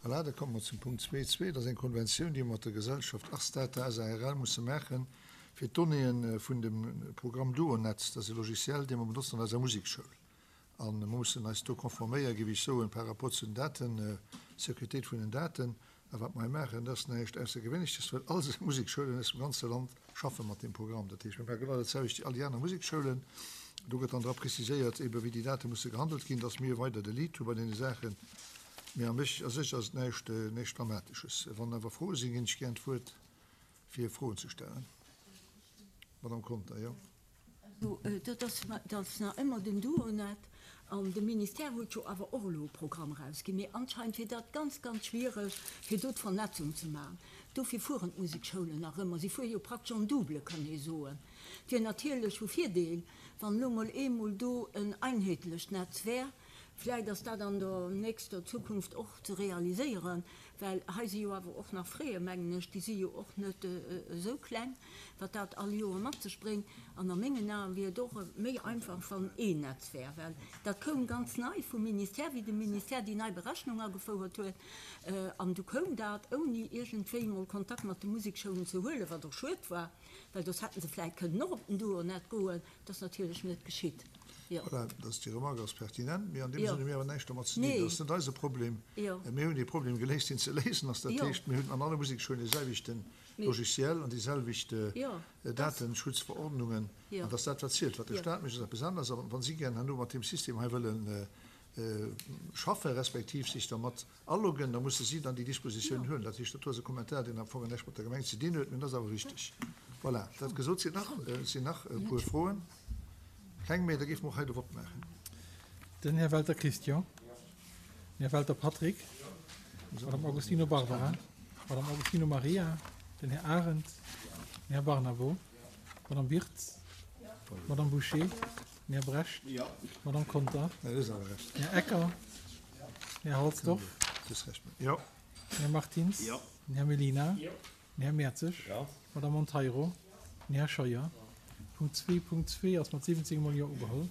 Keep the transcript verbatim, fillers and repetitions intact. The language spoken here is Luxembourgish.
Voilà, da komme mer zum Punkt zwee zwee. Dat ass eng Konventioun, déi mer mat der Gesellschaft Ars Data S A R L musse maachen, fir d'Donnéeën vun dem Programm Duonet, dat ass e Logiciel, dee mer benotzen an eiser Musekschoul. A mer mussen eis do konforméieren, géif ech soen, par rapport zu den Daten, Sécuritéit vun den Daten. A wat mer hei maachen, dat ass näischt Aussergewéinleches, well all Museksschoulen aus dem ganze Land schaffe mat deem Programm. Dat heescht, mir maache genau dat selwecht wéi all déi aner Museksschoulen. Do gëtt dann dra preziséiert, ebe wéi déi Date musse gehandelt ginn, dass mir weider de Lead hu bei deene Saachen. Mee a mech, a sech ass et näischt, näischt Dramatesches. Wann awer Froe sinn, ginn ech gären d'Wuert, fir Froen ze stellen. Madame Conter, jo. Also, dat ass, dat ass nach ëmmer den Duonet. An de Ministère huet jo awer och elo e Programm erausginn. Mee anscheinend wier dat ganz, ganz schwiereg, fir do d'Vernetzung ze maachen. Dofir fueren d'Musekschoulen nach ëmmer. Si fuere jo praktesch en double, kann ee soen. Et wier natierlech vu Virdeel, wann elo mol eemol do en einheetlecht Netz wär. Vläicht ass dat an der nächster Zukunft och ze realiséieren, well hei si jo awer och nach Frais, mengen ech, déi si jo och net esou kleng, wat dat all Joer mat sech bréngt. An a mengen Aen wier et och méi einfach, wann een Netz wär, well dat koum ganz nei vum Ministère, wéi de Ministère déi nei Berechnung agefouert huet. An du koum dat, ouni iergendwéi emol Kontakt mat de Musekschoulen ze huelen, wat och schued war, well soss hätte se vläicht kënnen och op den Duonet goen. Dat ass natierlech net geschitt. Jo. Voilà, dass déi Remarque ass pertinent, mee an deem Jo. Sënn hu mir awer näischt domat ze dinn. Nee. Dat ass net eise Problem. Jo. Mir hunn dee Problem geléist, deen ze léisen ass. Dat Jo. heescht, mir hunn an alle Museksschoulen dee selwechte Mee. Logiciel an déi selwecht Jo, dass. Datenschutzverordnungen. Jo. An dass dat, wat zielt. Wat de Jo. Staat mécht, ass eppes aneres. A wa si gären herno mat deem System hei wëlle schaffen, respektiv sech dermat aloggen, da musse si dann déi Dispositiounen Jo. huelen. Dat heescht, dat do ass e Kommentar, deen am Fong näischt mat der Gemeng ze dinn huet, mee dat ass awer wichteg. Voilà, dat gesot, sinn nach, sinn nach e puer Froen. Keng méi, da géife mer och hei de Vott maachen. Den Här Welter Christian. Den Här Welter Patrick. D'Madame Agostino Barbara. D'Madame Agostino Maria. Den Här Arendt. Den Här Barnabo. D'Madame Wirtz. D'Madame Bouché. Den Här Brecht. D'Madame Conter. Den Här Ecker. Den Här Halsdorf. Jo. Den Här Martins. Den Här Mellina. Den Här Mertzig. D'Madame Monteiro. Den Här Scheuer. Punkt zwee Punkt zwee ass mat siwwenzéng mol Jo ugeholl.